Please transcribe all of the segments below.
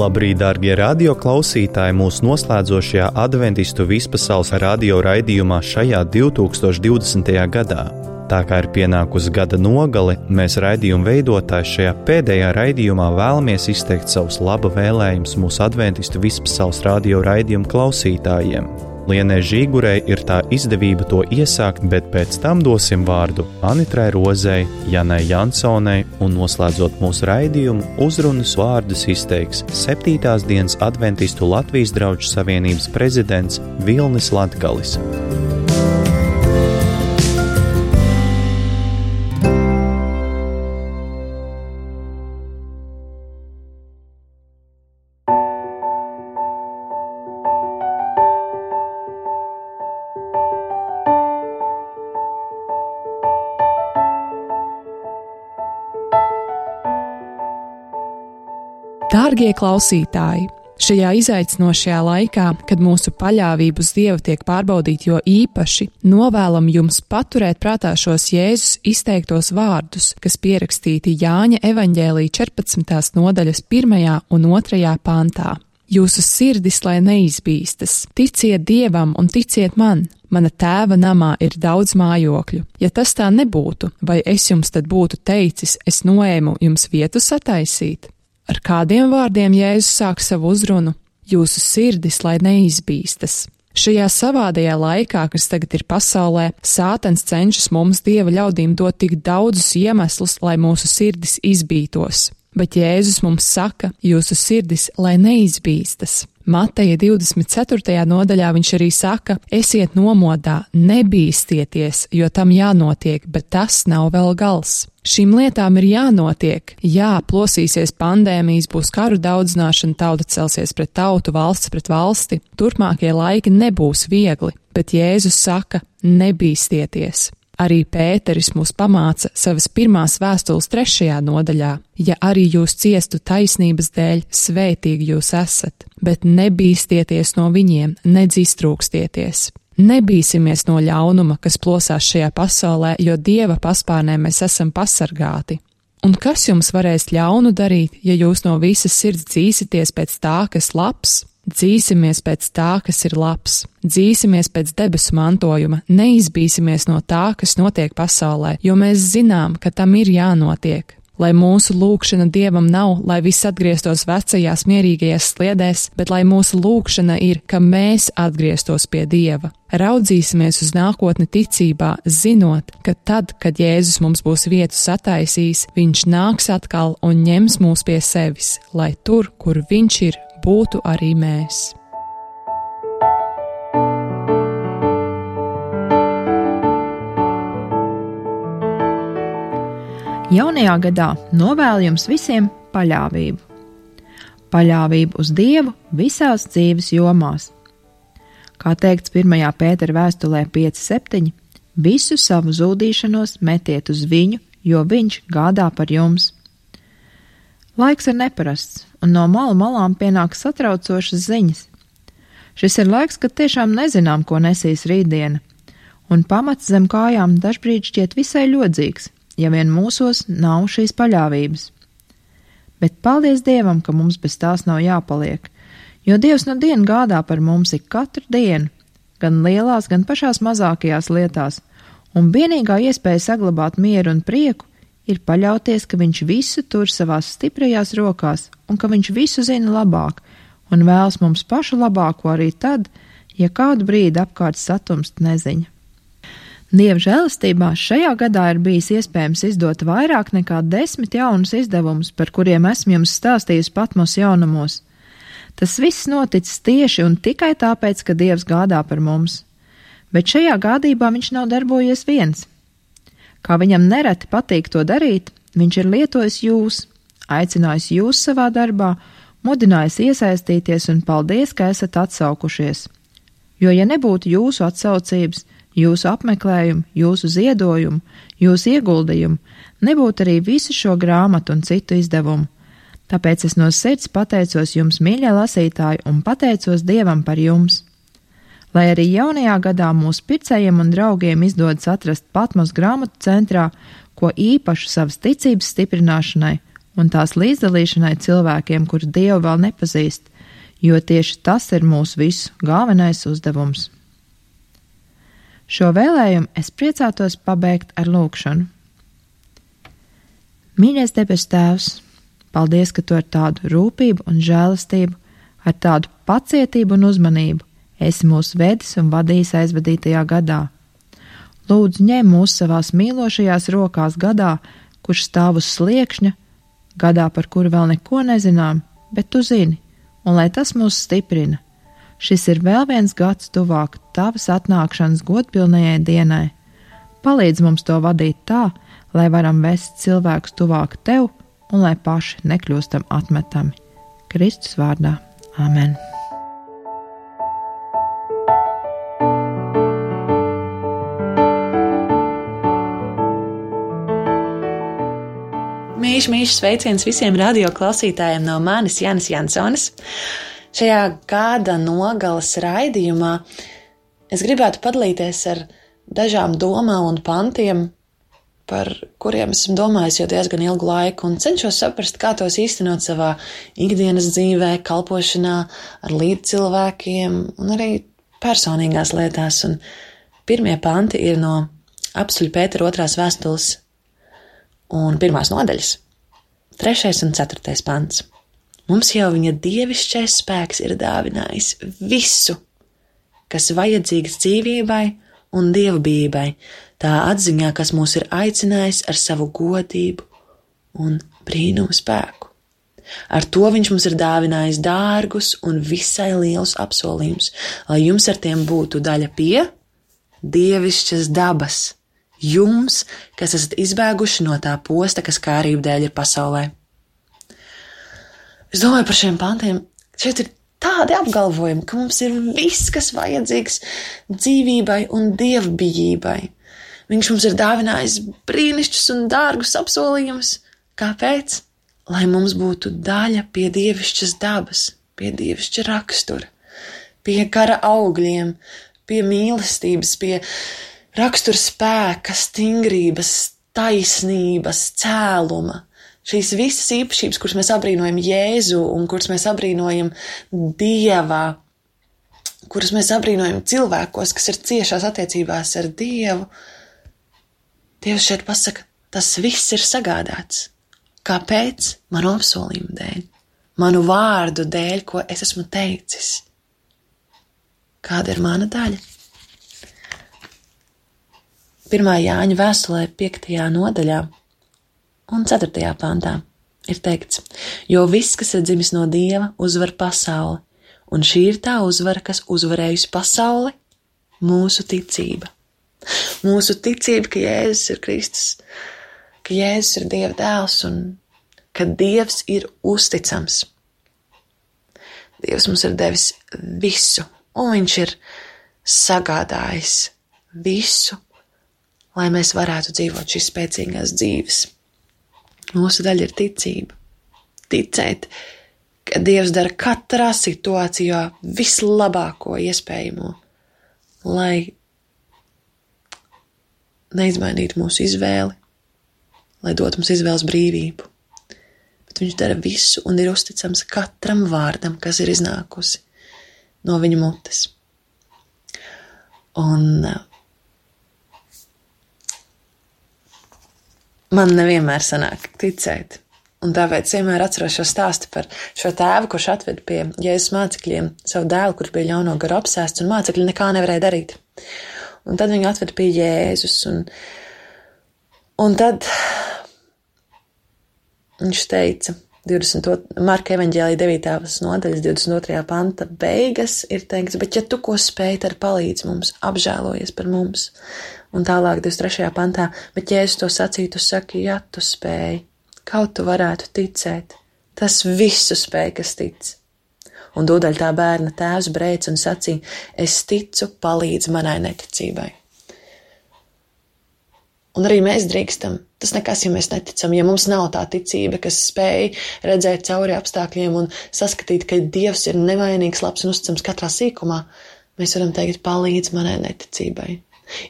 Labrīt, dārgie radio klausītāji, mūsu noslēdzošajā adventistu vispasaules radio raidījumā šajā 2020. gadā. Tā kā ir pienākusi gada nogale, mēs raidījuma veidotāji šajā pēdējā raidījumā vēlamies izteikt savus laba vēlējumus mūsu adventistu vispasaules radio raidījuma klausītājiem. Lienai Žīgurei ir tā izdevība to iesākt, bet pēc tam dosim vārdu Anitrai Rozei, Janai Jansonai un noslēdzot mūsu raidījumu uzrunas vārdus izteiks 7. dienas adventistu Latvijas draugu savienības prezidents Vilnis Latgalis. Dārgie klausītāji, šajā izaicinošajā laikā, kad mūsu paļāvība uz Dievu tiek pārbaudīta jo īpaši, novēlam jums paturēt prātā šos Jēzus izteiktos vārdus, kas pierakstīti Jāņa evaņģēlija 14. nodaļas 1. un 2. pantā. Jūsu sirdis, lai neizbīstas, ticiet Dievam un ticiet man. Mana tēva namā ir daudz mājokļu. Ja tas tā nebūtu, vai es jums tad būtu teicis, es noēmu jums vietu sataisīt? Ar kādiem vārdiem Jēzus sāk savu uzrunu? Jūsu sirdis, lai neizbīstas. Šajā savādajā laikā, kas tagad ir pasaulē, Sātans cenšas mums Dieva ļaudīm dot tik daudzus iemeslus, lai mūsu sirdis izbītos. Bet Jēzus mums saka, jūsu sirdis, lai neizbīstas. Mateja 24. nodaļā viņš arī saka, esiet nomodā, nebīstieties, jo tam jānotiek, bet tas nav vēl gals. Šīm lietām ir jānotiek. Jā, plosīsies pandēmijas, būs karu daudzināšana, tauta celsies pret tautu, valsts pret valsti. Turpmākie laiki nebūs viegli, bet Jēzus saka, nebīstieties. Arī Pēteris mūs pamāca savas pirmās vēstules 3. nodaļā. Ja arī jūs ciestu taisnības dēļ, svētīgi jūs esat, bet nebīstieties no viņiem, nedz iztrūkstieties. Nebīsimies no ļaunuma, kas plosās šajā pasaulē, jo Dieva paspārnē mēs esam pasargāti. Un kas jums varēs ļaunu darīt, ja jūs no visas sirds dzīsieties pēc tā, kas labs? Dzīsimies pēc tā, kas ir labs. Dzīsimies pēc debesu mantojuma, neizbīsimies no tā, kas notiek pasaulē, jo mēs zinām, ka tam ir jānotiek. Lai mūsu lūgšana Dievam nav, lai viss atgrieztos vecajās mierīgajās sliedēs, bet lai mūsu lūgšana ir, ka mēs atgrieztos pie Dieva. Raudzīsimies uz nākotni ticībā, zinot, ka tad, kad Jēzus mums būs vietu sataisījis, viņš nāks atkal un ņems mūs pie sevis, lai tur, kur viņš ir, būtu arī mēs. Jaunajā gadā novēlu jums visiem paļāvību. Paļāvību uz Dievu visās dzīves jomās. Kā teikts 1. Pētera vēstulē 5:7, visu savu zūdīšanos metiet uz viņu, jo viņš gādā par jums. Laiks ir neparasts, un no malu malām pienāk satraucošas ziņas. Šis ir laiks, kad tiešām nezinām, ko nesīs rītdiena, un pamats zem kājām dažbrīd šķiet visai ļodzīgs, ja vien mūsos nav šīs paļāvības. Bet paldies Dievam, ka mums bez tās nav jāpaliek, jo Dievs no dienu gādā par mums ik katru dienu, gan lielās, gan pašās mazākajās lietās, un vienīgā iespēja saglabāt mieru un prieku ir paļauties, ka viņš visu tur savās stiprajās rokās un ka viņš visu zina labāk un vēlas mums pašu labāko arī tad, ja kādu brīdi apkārt satumst neziņa. Dieva žēlastībā šajā gadā ir bijis iespējams izdot vairāk nekā 10 jaunus izdevumus, par kuriem esmu jums stāstījusi Patmos jaunumos. Tas viss noticis tieši un tikai tāpēc, ka Dievs gādā par mums. Bet šajā gādībā viņš nav darbojies viens. Kā viņam nereti patīk to darīt, viņš ir lietojis jūs, aicinājis jūs savā darbā, mudinājis iesaistīties un paldies, ka esat atsaukušies. Jo, ja nebūtu jūsu atsaucības, jūsu apmeklējumu, jūsu ziedojumu, jūsu ieguldījumu, nebūtu arī visu šo grāmatu un citu izdevumu. Tāpēc es no sirds pateicos jums, mīļie lasītāji, un pateicos Dievam par jums. Lai arī jaunajā gadā mūsu pircējiem un draugiem izdodas atrast Patmos grāmatu centrā, ko īpašu savas ticības stiprināšanai un tās līdzdalīšanai cilvēkiem, kuri Dievu vēl nepazīst, jo tieši tas ir mūsu visu galvenais uzdevums. Šo vēlējumu es priecātos pabeigt ar lūgšanu. Mīļais debes Tēvs, paldies, ka Tu ar tādu rūpību un žēlastību, ar tādu pacietību un uzmanību esi mūs vedis un vadījis aizvadītajā gadā. Lūdzu, ņem mūs savās mīlošajās rokās gadā, kurš stāv uz sliekšņa, gadā, par kuru vēl neko nezinām, bet Tu zini, un lai tas mūs stiprina. Šis ir vēl viens gads tuvāk Tavas atnākšanas godpilnajai dienai. Palīdz mums to vadīt tā, lai varam vest cilvēkus tuvāk Tev un lai paši nekļūstam atmetami. Kristus vārdā. Āmen. Mīļš sveiciens visiem radioklausītājiem no manis Jānis Jansonis. Šajā gada nogales raidījumā es gribētu padalīties ar dažām domām un pantiem, par kuriem esmu domājis jau diezgan ilgu laiku un cenšos saprast, kā tos īstenot savā ikdienas dzīvē, kalpošanā, ar līdzcilvēkiem un arī personīgās lietās. Un pirmie panti ir no Apstuļa Pētera 2. vēstules un 1. nodaļas, 3. un 4. pants. Mums jau viņa dievišķais spēks ir dāvinājis visu, kas vajadzīgs dzīvībai un dievbijībai, tā atziņā, kas mūs ir aicinājis ar savu godību un brīnumu spēku. Ar to viņš mums ir dāvinājis dārgus un visai lielus apsolījumus, lai jums ar tiem būtu daļa pie dievišķas dabas, jums, kas esat izbēguši no tā posta, kas kārību dēļ ir pasaulē. Es domāju par šiem pantiem, šeit ir tādi apgalvojumi, ka mums ir viss, kas vajadzīgs dzīvībai un dievbijībai. Viņš mums ir dāvinājis brīnišķus un dārgus apsolījumus. Kāpēc? Lai mums būtu daļa pie dievišķas dabas, pie dievišķa rakstura, pie kara augļiem, pie mīlestības, pie rakstura spēka, stingrības, taisnības, cēluma. Šīs visas īpašības, kuras mēs abrīnojam Jēzu un kuras mēs abrīnojam Dievā, kuras mēs abrīnojam cilvēkos, kas ir ciešās attiecībās ar Dievu, Dievs šeit pasaka, tas viss ir sagādāts. Kāpēc? Manu apsolījumu dēļ, manu vārdu dēļ, ko es esmu teicis. Kāda ir mana daļa? 1. Jāņa vēstulē 5. nodaļā un 4. pantā ir teikts, jo viss, kas ir dzimis no Dieva, uzvar pasauli, un šī ir tā uzvara, kas uzvarējusi pasauli, mūsu ticība. Mūsu ticība, ka Jēzus ir Kristus, ka Jēzus ir Dieva dēls un ka Dievs ir uzticams. Dievs mums ir devis visu, un viņš ir sagādājis visu, lai mēs varētu dzīvot šīs spēcīgās dzīves. Mūsu daļa ir ticība. Ticēt, ka Dievs dara katrā situācijā vislabāko iespējamo, lai neizmainītu mūsu izvēli, lai dot mums izvēles brīvību. Bet viņš dara visu un ir uzticams katram vārdam, kas ir iznākusi no viņa mutes. Un man nevienmēr sanāk ticēt. Un tāpēc vienmēr atceros šo stāstu par šo tēvu, kurš atved pie Jēzus mācekļiem savu dēlu, kurš bija ļauno garu apsēsts, un mācekļi nekā nevarēja darīt. Un tad viņu atved pie Jēzus, un tad viņš teica, Marka evaņģēlija 9. nodaļas 22. panta beigas ir teikts, bet ja tu ko spēj, tad palīdz mums, apžēlojies par mums. Un tālāk 23. pantā, bet Jēzus to sacīja, tu saki, ja tu spēj, kaut tu varētu ticēt, tas visu spēj, kas tic. Un tūdaļ tā bērna tēvs brēc un sacīja, es ticu, palīdz manai neticībai. Un arī mēs drīkstam. Tas nekas, ja mēs neticam, ja mums nav tā ticība, kas spēj redzēt cauri apstākļiem un saskatīt, ka Dievs ir nevainīgs, labs un uzticams katrā sīkumā, mēs varam teikt, palīdz manai neticībai.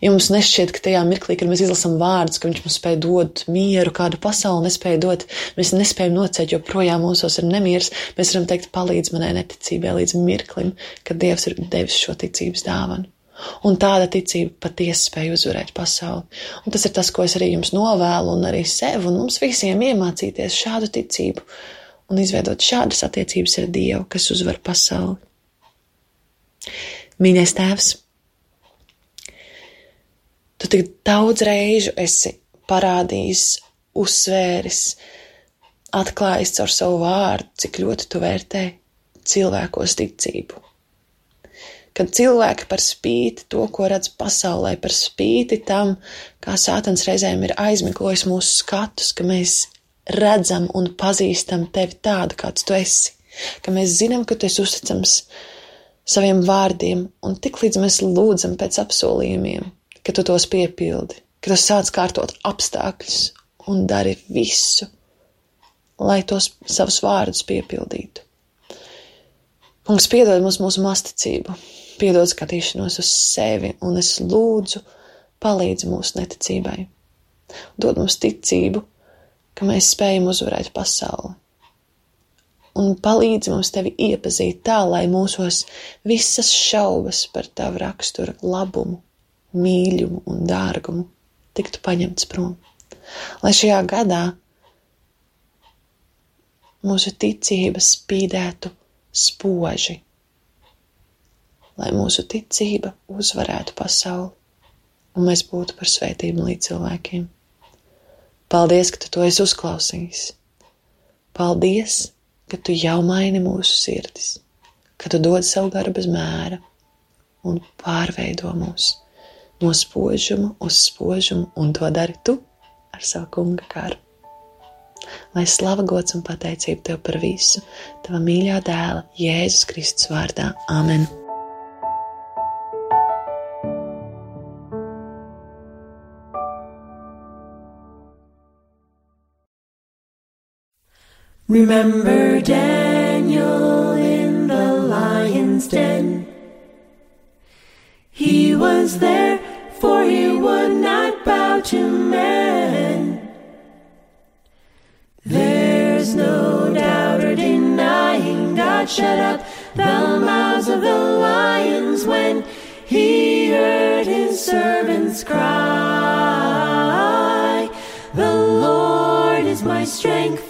Ja mums nešķiet, ka tajā mirklī, kad mēs izlasām vārdus, ka viņš mums spēj dot mieru, kādu pasauli nespēja dot, mēs nespējam nocēt, jo projām mūsos ir nemieris, mēs varam teikt, palīdz manai neticībai līdz mirklim, kad Dievs ir devis šo ticības dāvanu. Un tāda ticība patiesi spēj uzvarēt pasauli. Un tas ir tas, ko es arī jums novēlu un arī sev un mums visiem iemācīties šādu ticību un izveidot šādas attiecības ar Dievu, kas uzvar pasauli. Mīļais Tēvs, Tu tik daudz reižu esi parādījis, uzsvēris, atklājis caur savu vārdu, cik ļoti Tu vērtē cilvēkos ticību. Kad cilvēki par spīti to, ko redz pasaulē, par spīti tam, kā Sātans reizēm ir aizmiglojis mūsu skatus, ka mēs redzam un pazīstam Tevi tādu, kāds Tu esi, ka mēs zinām, ka Tu esi uzticams saviem vārdiem, un tik līdz mēs lūdzam pēc apsolījumiem, ka Tu tos piepildi, ka Tu sāc kārtot apstākļus un dari visu, lai tos savus vārdus piepildītu. Kungs, piedod mums mūsu masticību, piedod skatīšanos uz sevi, un es lūdzu, palīdzi mūsu neticībai. Dod mums ticību, ka mēs spējam uzvarēt pasauli. Un palīdzi mums Tevi iepazīt tā, lai mūsos visas šaubas par Tavu raksturu labumu, mīļumu un dārgumu tiktu paņemts prom. Lai šajā gadā mūsu ticība spīdētu spoži, lai mūsu ticība uzvarētu pasauli un mēs būtu par svētību līdz cilvēkiem. Paldies, ka Tu to esi uzklausījis. Paldies, ka Tu jau maini mūsu sirdis, ka Tu dod savu garu bez mēra un pārveido mūs no spožuma uz spožumu, un to dari Tu ar savu Kunga garu. Lai slava, gods un pateicība Tev par visu, Tava mīļā dēla, Jēzus Kristus vārdā. Amen. Remember Daniel in the lion's den. He was there, for he would not bow to man. There's no doubt or denying God shut up the mouths of the lions when he heard his servants cry. The Lord is my strength.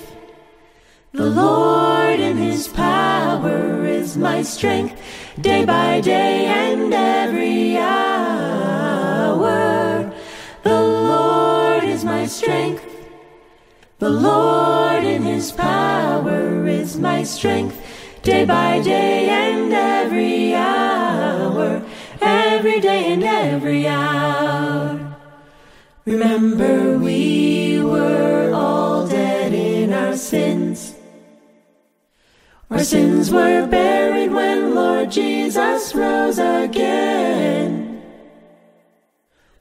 The Lord in his power is my strength, day by day and every hour. The Lord is my strength. The Lord in his power is my strength, day by day and every hour, every day and every hour. Remember, we were all dead in our sins. Our sins were buried when Lord Jesus rose again.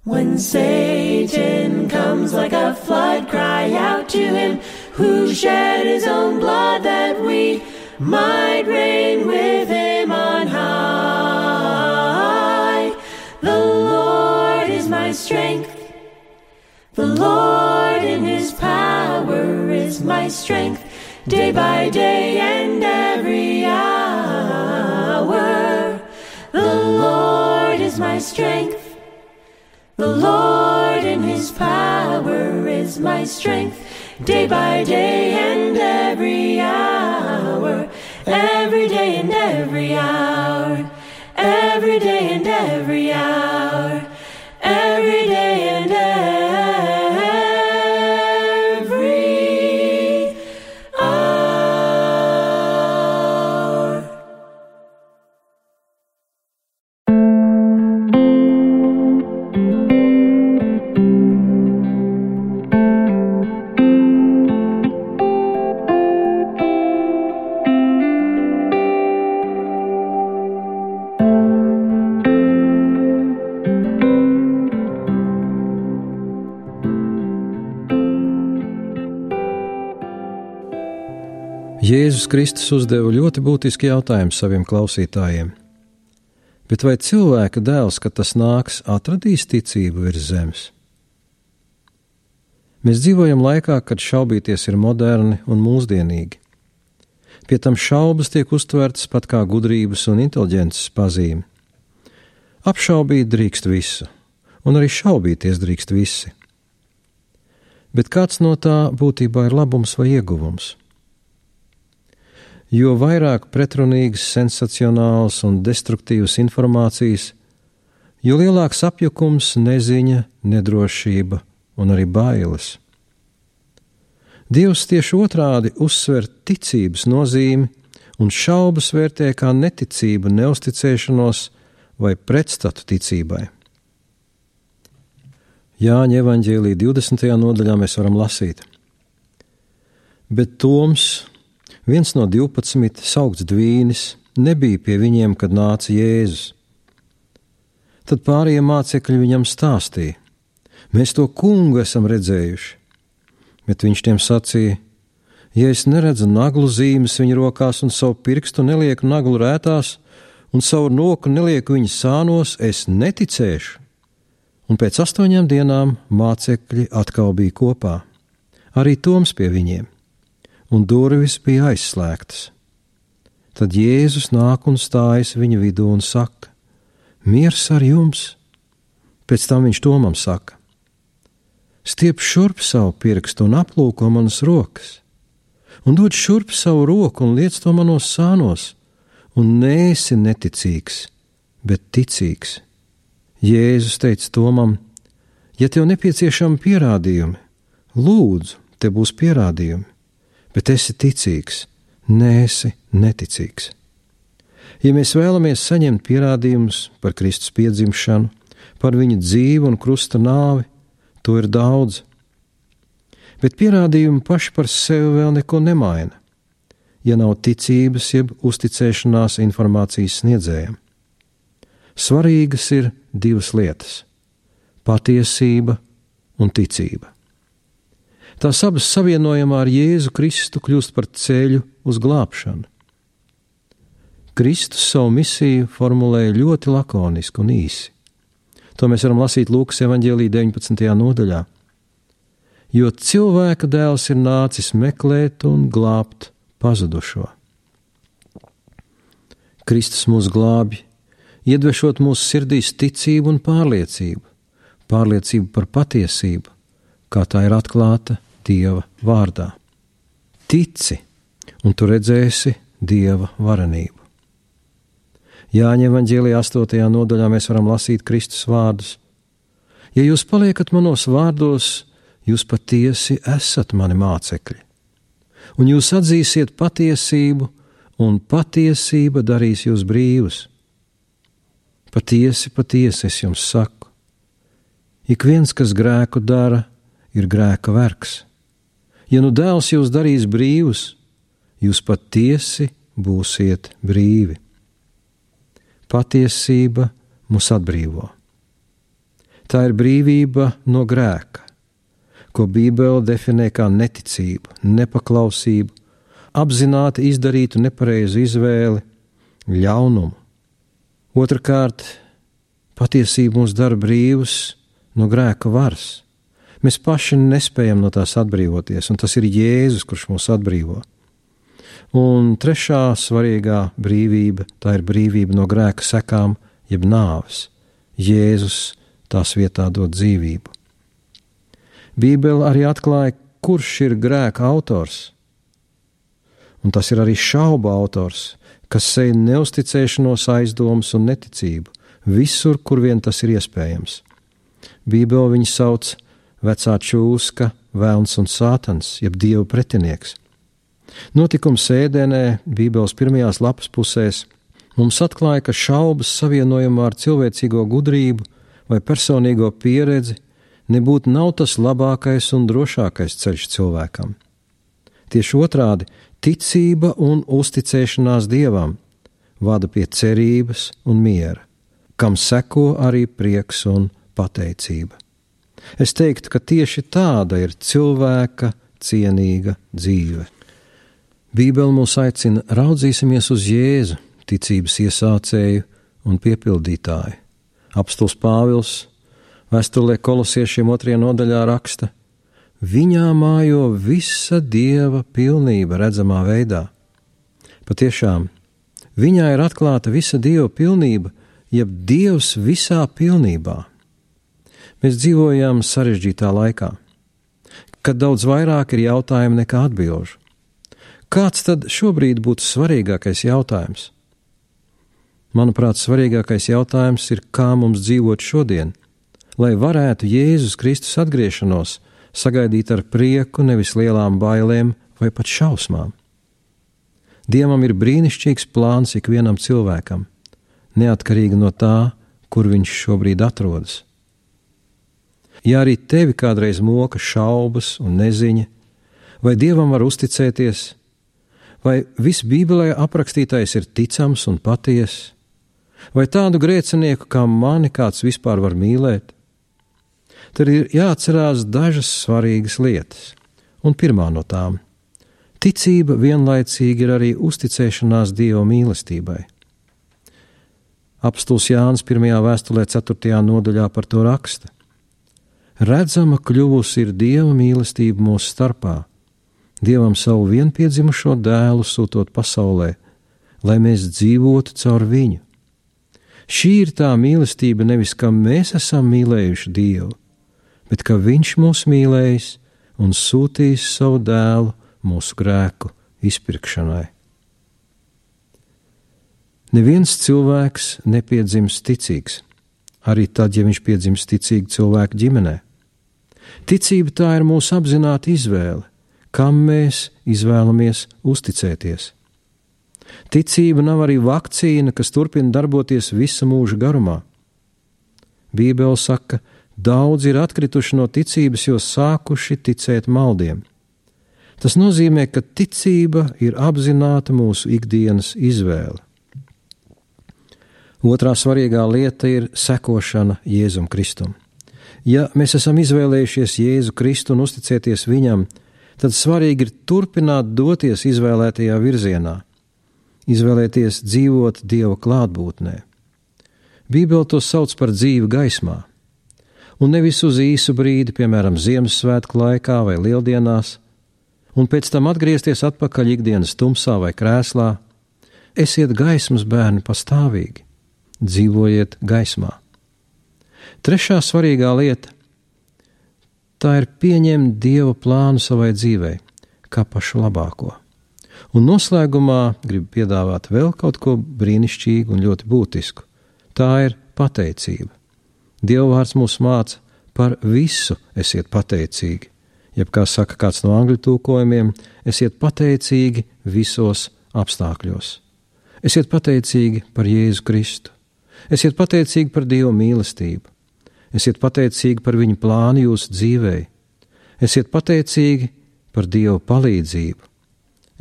When Satan comes like a flood, cry out to him who shed his own blood that we might reign with him on high. The Lord is my strength. The Lord in his power is my strength, day by day and every hour. The Lord is my strength. The Lord in his power is my strength, day by day and every hour, every day and every hour, every day and every hour, every day and every hour. Jēzus Kristus uzdeva ļoti būtisku jautājumu saviem klausītājiem. Bet vai cilvēka dēls, kad tas nāks, atradīs ticību virs zemes? Mēs dzīvojam laikā, kad šaubīties ir moderni un mūsdienīgi. Pie tam šaubas tiek uztvertas pat kā gudrības un inteliģences pazīme. Apšaubīt drīkst visu, un arī šaubīties drīkst visi. Bet kāds no tā būtībā ir labums vai ieguvums? Jo vairāk pretrunīgas, sensacionālas un destruktīvas informācijas, jo lielāks apjukums, neziņa, nedrošība un arī bailes. Dievs tieši otrādi uzsver ticības nozīmi un šaubas vērtē kā neticību, neusticēšanos vai pretstatu ticībai. Jāņa evaņģēlija 20. nodaļā mēs varam lasīt. Bet Toms, viens no 12, saukts Dvīnis, nebija pie viņiem, kad nāca Jēzus. Tad pārējie mācekļi viņam stāstīja: mēs to kungu esam redzējuši. Bet viņš tiem sacīja: ja es neredzu naglu zīmes viņa rokās un savu pirkstu nelieku naglu rētās un savu roku nelieku viņa sānos, es neticēšu. Un pēc 8 dienām mācekļi atkal bija kopā, arī Toms pie viņiem, un durvis bija aizslēgtas. Tad Jēzus nāk un stājas viņa vidū un saka: miers ar jums! Pēc tam viņš Tomam saka: stiep šurp savu pirkstu un aplūko manas rokas, un dod šurp savu roku un liec to manos sānos, un neesi neticīgs, bet ticīgs. Jēzus teica Tomam: ja tev nepieciešami pierādījumi, lūdzu, te būs pierādījumi, bet esi ticīgs, neesi neticīgs. Ja mēs vēlamies saņemt pierādījumus par Kristus piedzimšanu, par viņa dzīvi un krusta nāvi, to ir daudz. Bet pierādījumi paši par sevi vēl neko nemaina, ja nav ticības jeb uzticēšanās informācijas sniedzējiem. Svarīgas ir 2 lietas – patiesība un ticība. Tās abas savienojumā ar Jēzu Kristu kļūst par ceļu uz glābšanu. Kristus savu misiju formulēja ļoti lakoniski un īsi. To mēs varam lasīt Lūkas evaņģēlija 19. nodaļā. Jo cilvēka dēls ir nācis meklēt un glābt pazudušo. Kristus mūs glābj, iedvešot mūsu sirdīs ticību un pārliecību par patiesību, kā tā ir atklāta Dieva vārdā. Tici, un tu redzēsi Dieva varenību. Jāņa evaņģēlijā 8. nodaļā mēs varam lasīt Kristus vārdus: ja jūs paliekat manos vārdos, jūs patiesi esat mani mācekļi, un jūs atzīsiet patiesību, un patiesība darīs jūs brīvus. Patiesi, patiesi es jums saku, ik viens, kas grēku dara, ir grēka vergs. Ja nu dēls jūs darīs brīvus, jūs patiesi būsiet brīvi. Patiesība mūs atbrīvo. Tā ir brīvība no grēka, ko Bībele definē kā neticību, nepaklausību, apzināti izdarītu nepareizu izvēli, ļaunumu. Otrakārt, patiesība mūs dara brīvus no grēka varas. Mēs paši nespējam no tās atbrīvoties, un tas ir Jēzus, kurš mūs atbrīvo. Un trešā svarīgā brīvība, tā ir brīvība no grēka sekām, jeb nāves. Jēzus tās vietā dod dzīvību. Bībele arī atklāja, kurš ir grēka autors. Un tas ir arī šaubu autors, kas sej neusticēšanos, aizdomas un neticību, visur, kur vien tas ir iespējams. Bībele viņu sauc vecā čūska, velns un sātans, jeb Dieva pretinieks. Notikums Ēdenē, Bībeles 1. lapas pusēs, mums atklāja, ka šaubas savienojumā ar cilvēcīgo gudrību vai personīgo pieredzi nebūtu nav tas labākais un drošākais ceļš cilvēkam. Tieši otrādi, ticība un uzticēšanās Dievam vada pie cerības un miera, kam seko arī prieks un pateicība. Es teiktu, ka tieši tāda ir cilvēka cienīga dzīve. Bībele mūs aicina raudzīsimies uz Jēzu, ticības iesācēju un piepildītāji. Apostols Pāvils vēstulē Kolosiešiem 2. nodaļā raksta: Viņā mājo visa Dieva pilnība redzamā veidā. Patiešām, viņā ir atklāta visa Dieva pilnība, jeb Dievs visā pilnībā. Mēs dzīvojam sarežģītā laikā, kad daudz vairāk ir jautājumu nekā atbilžu. Kāds tad šobrīd būtu svarīgākais jautājums? Manuprāt, svarīgākais jautājums ir, kā mums dzīvot šodien, lai varētu Jēzus Kristus atgriešanos sagaidīt ar prieku, nevis lielām bailēm vai pat šausmām. Dievam ir brīnišķīgs plāns ikvienam cilvēkam, neatkarīgi no tā, kur viņš šobrīd atrodas. Ja arī tevi kādreiz moka šaubas un neziņa, vai Dievam var uzticēties, vai viss Bībelē aprakstītais ir ticams un patiess, vai tādu grēcinieku kā mani kāds vispār var mīlēt, tad ir jāatcerās dažas svarīgas lietas. Un pirmā no tām – ticība vienlaicīgi ir arī uzticēšanās Dieva mīlestībai. Apostols Jānis 1. vēstulē 4. nodaļā par to raksta: Redzama kļuvusi ir Dieva mīlestība mūsu starpā, Dievam savu vienpiedzimušo dēlu sūtot pasaulē, lai mēs dzīvotu caur viņu. Šī ir tā mīlestība, nevis ka mēs esam mīlējuši Dievu, bet ka Viņš mūs mīlējis un sūtījis savu dēlu mūsu grēku izpirkšanai. Neviens cilvēks nepiedzimst ticīgs, arī tad, ja viņš piedzimst ticīgi cilvēku ģimenē. Ticība tā ir mūsu apzināta izvēle, kam mēs izvēlamies uzticēties. Ticība nav arī vakcīna, kas turpina darboties visa mūža garumā. Bībele saka, daudzi ir atkrituši no ticības, jo sākuši ticēt maldiem. Tas nozīmē, ka ticība ir apzināta mūsu ikdienas izvēle. Otrā svarīgā lieta ir sekošana Jēzum Kristum. Ja mēs esam izvēlējušies Jēzu Kristu un uzticēties Viņam, tad svarīgi ir turpināt doties izvēlētajā virzienā, izvēlēties dzīvot Dieva klātbūtnē. Bībele to sauc par dzīvi gaismā, un nevis uz īsu brīdi, piemēram, Ziemassvētku laikā vai Lieldienās, un pēc tam atgriezties atpakaļ ikdienas tumsā vai krēslā. Esiet gaismas bērni pastāvīgi, dzīvojiet gaismā. Trešā svarīgā lieta – tā ir pieņemt Dieva plānu savai dzīvei, kā pašu labāko. Un noslēgumā gribu piedāvāt vēl kaut ko brīnišķīgu un ļoti būtisku. Tā ir pateicība. Dieva vārds mūs māca par visu esiet pateicīgi. Jeb kā saka kāds no angļu tulkojumiem, esiet pateicīgi visos apstākļos. Esiet pateicīgi par Jēzu Kristu. Esiet pateicīgi par Dieva mīlestību. Esiet pateicīgi par Viņa plānu jūsu dzīvei. Esiet pateicīgi par Dieva palīdzību.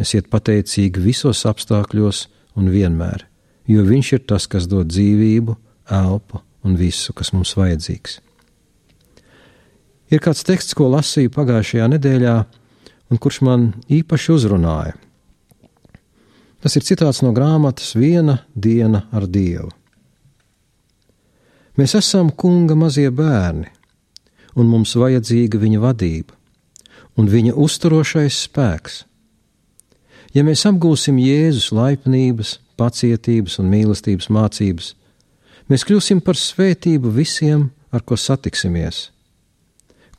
Esiet pateicīgi visos apstākļos un vienmēr, jo Viņš ir tas, kas dod dzīvību, elpu un visu, kas mums vajadzīgs. Ir kāds teksts, ko lasīju pagājušajā nedēļā, un kurš man īpaši uzrunāja. Tas ir citāts no grāmatas Viena diena ar Dievu. Mēs esam Kunga mazie bērni, un mums vajadzīga Viņa vadība un Viņa uzturošais spēks. Ja mēs apgūsim Jēzus laipnības, pacietības un mīlestības mācības, mēs kļūsim par svētību visiem, ar ko satiksimies.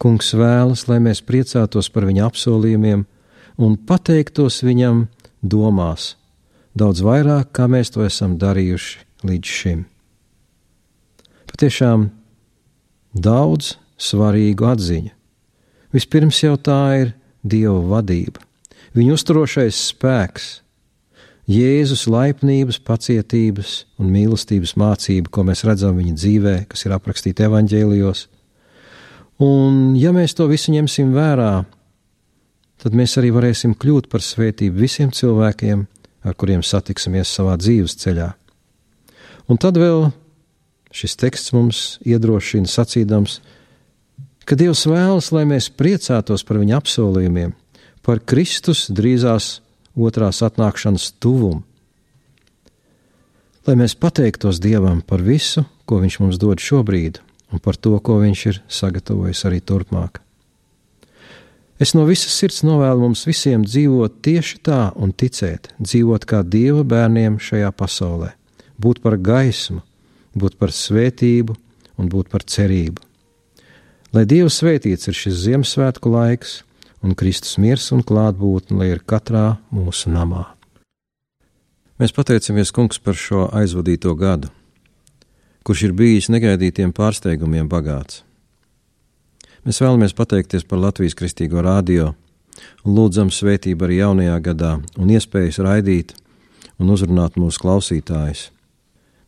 Kungs vēlas, lai mēs priecātos par Viņa apsolījumiem un pateiktos Viņam domās, daudz vairāk, kā mēs to esam darījuši līdz šim. Patiešām daudz svarīgu atziņu. Vispirms jau tā ir Dieva vadība, Viņa uzturošais spēks, Jēzus laipnības, pacietības un mīlestības mācība, ko mēs redzam Viņa dzīvē, kas ir aprakstīta evaņģēlijos. Un ja mēs to visu ņemsim vērā, tad mēs arī varēsim kļūt par svētību visiem cilvēkiem, ar kuriem satiksimies savā dzīves ceļā. Un tad vēl šis teksts mums iedrošina sacīdams, ka Dievs vēlas, lai mēs priecātos par Viņa apsolījumiem, par Kristus drīzās otrās atnākšanas tuvumu. lai mēs pateiktos Dievam par visu, ko Viņš mums dod šobrīd, un par to, ko Viņš ir sagatavojis arī turpmāk. Es no visas sirds novēlu mums visiem dzīvot tieši tā un ticēt, dzīvot kā Dieva bērniem šajā pasaulē, būt par gaismu, būt par svētību un būt par cerību. Lai Dieva svētīts ir šis Ziemassvētku laiks, un Kristus miers un klātbūtne, lai ir katrā mūsu namā. Mēs pateicamies, Kungs, par šo aizvadīto gadu, kurš ir bijis negaidītiem pārsteigumiem bagāts. Mēs vēlamies pateikties par Latvijas Kristīgo radio un lūdzam svētību arī jaunajā gadā un iespējas raidīt un uzrunāt mūsu klausītājus.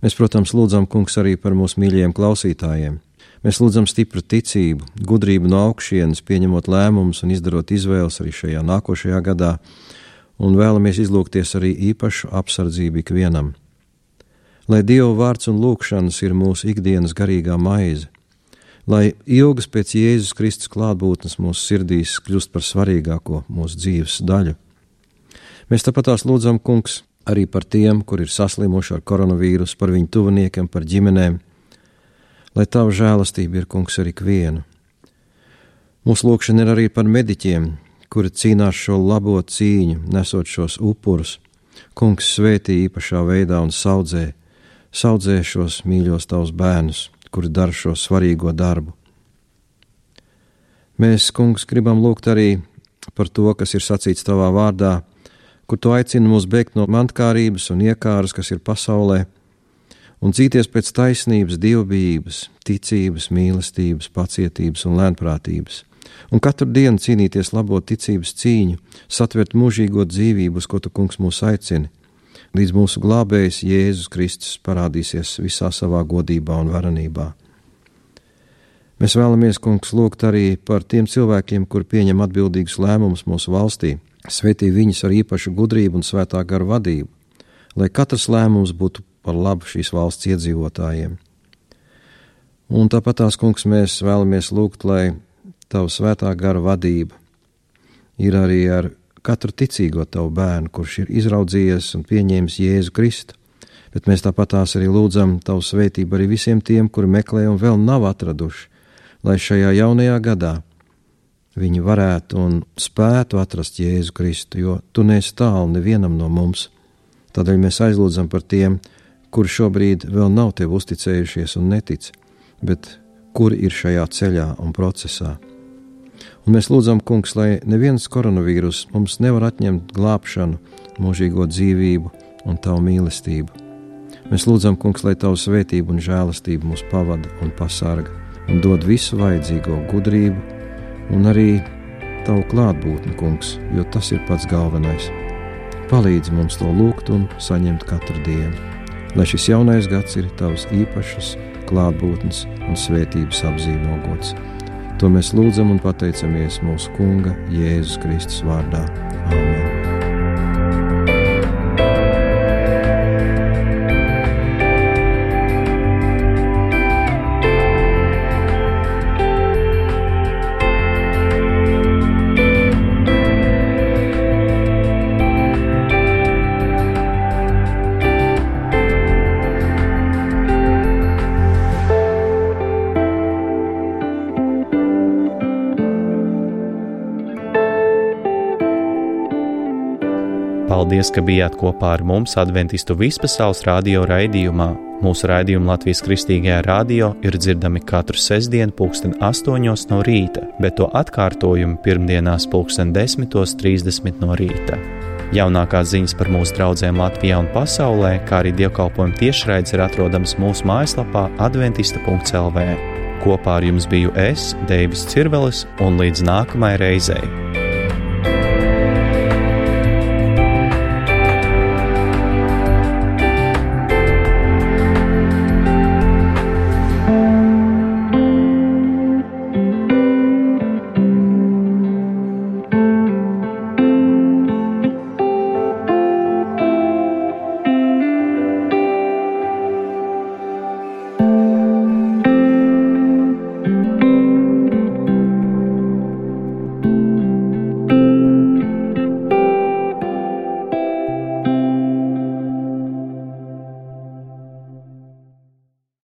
Mēs, protams, lūdzam, Kungs, arī par mūsu mīļajiem klausītājiem. Mēs lūdzam stipru ticību, gudrību no augšienes, pieņemot lēmumus un izdarot izvēles arī šajā nākošajā gadā, un vēlamies izlūgties arī īpašu apsardzību ikvienam. Lai Dieva vārds un lūgšanas ir mūsu ikdienas garīgā maize, lai ilgas pēc Jēzus Kristus klātbūtnes mūsu sirdīs kļūst par svarīgāko mūsu dzīves daļu. Mēs tāpatās lūdzam, Kungs, arī par tiem, kur ir saslimuši ar koronavīrusu, par viņu tuviniekiem, par ģimenēm, lai Tava žēlastība ir, Kungs, ar ikvienu. Mūsu lūgšana ir arī par mediķiem, kuri cīnās šo labo cīņu, nesot šos upurus. Kungs, svētī īpašā veidā un saudzē šos mīļos Tavus bērnus, kuri dara šo svarīgo darbu. Mēs, Kungs, gribam lūgt arī par to, kas ir sacīts Tavā vārdā, kur Tu aicini mūs bēgt no mantkārības un iekāras, kas ir pasaulē, un dzīties pēc taisnības, dievbijības, ticības, mīlestības, pacietības un lēnprātības, un katru dienu cīnīties labo ticības cīņu, satvert mūžīgo dzīvību, uz ko Tu, Kungs, mūs aicini, līdz mūsu glābējs Jēzus Kristus parādīsies visā savā godībā un varenībā. Mēs vēlamies, Kungs, lūgt arī par tiem cilvēkiem, kur pieņem atbildīgus lēmumus mūsu valstī, svētī viņus ar īpašu gudrību un svētā gara vadību, lai katrs lēmums būtu par labu šīs valsts iedzīvotājiem. Un tāpatās, Kungs, mēs vēlamies lūgt, lai Tava svētā gara vadība ir arī ar katru ticīgo Tavu bērnu, kurš ir izraudzījies un pieņēmis Jēzu Kristu, bet mēs tāpatās arī lūdzam Tavu svētību arī visiem tiem, kuri meklē un vēl nav atraduši, lai šajā jaunajā gadā viņi varētu un spētu atrast Jēzu Kristu, jo Tu neesi tālu nevienam no mums. Tādēļ mēs aizlūdzam par tiem, kuri šobrīd vēl nav Tev uzticējušies un netic, bet kuri ir šajā ceļā un procesā. Un mēs lūdzam, Kungs, lai neviens koronavīrus mums nevar atņemt glābšanu, mūžīgo dzīvību un Tavu mīlestību. Mēs lūdzam, Kungs, lai Tavu svētību un žēlastību mūs pavada un pasarga un dod visu vajadzīgo gudrību un arī Tavu klātbūtni, Kungs, jo tas ir pats galvenais. Palīdz mums to lūgt un saņemt katru dienu, lai šis jaunais gads ir Tavs īpašas klātbūtnes un svētības apzīmogots. To mēs lūdzam un pateicamies mūsu Kunga Jēzus Kristus vārdā. Āmen. Paldies, ka bijāt kopā ar mums Adventistu vispasaules radio raidījumā. Mūsu raidījumi Latvijas Kristīgajā radio ir dzirdami katru sestdienu 8:00 no rīta, bet to atkārtojumu pirmdienās 10:30 no rīta. Jaunākās ziņas par mūsu draudzēm Latvijā un pasaulē, kā arī dievkalpojumu tiešraides ir atrodams mūsu mājaslapā adventista.lv. Kopā ar jums biju es, Deivis Cirvelis, un līdz nākamajai reizei.